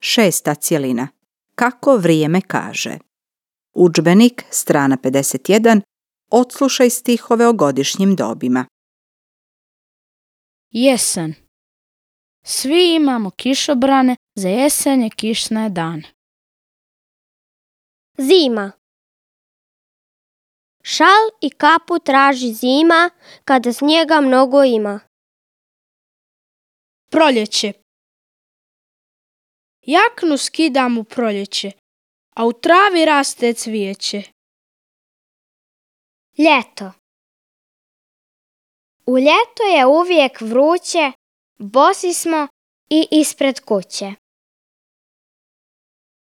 6. cjelina. Kako vrijeme kaže. Udžbenik, strana 51. Odslušaj stihove o godišnjim dobima. Jesen. Svi imamo kišobrane za jesenje kišne dane. Zima. Šal i kapu traži zima, kada snijega mnogo ima. Proljeće. Jaknu skidam u proljeće, a u travi raste cvijeće. Ljeto. U ljeto je uvijek vruće, bosi smo i ispred kuće.